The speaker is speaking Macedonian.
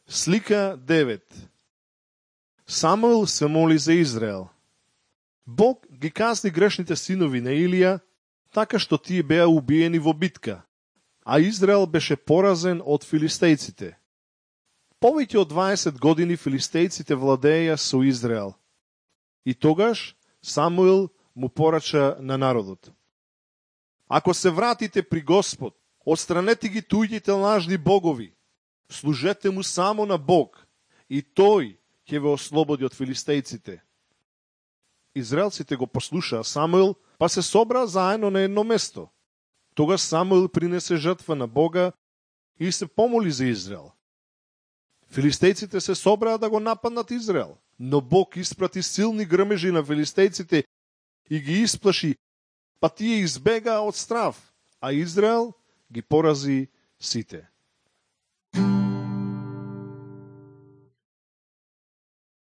Слика 9. Самуил се моли за Израел. Бог ги казни грешните синови на Илија, така што тие беа убиени во битка, а Израел беше поразен од филистејците. Повеќе од 20 години филистејците владееја со Израел. И тогаш Самуил му порача на народот: ако се вратите при Господ, отстранете ги туѓите лажни богови, служете му само на Бог, и тој ќе ве ослободи од филистејците. Израелците го послушаа Самуил, па се собраа заедно на едно место. Тогаш Самуил принесе жртва на Бога и се помоли за Израел. Филистејците се собраа да го нападнат Израел, но Бог испрати силни грмежи на филистејците и ги исплаши, па тие избегаа од страв, а Израел ги порази сите.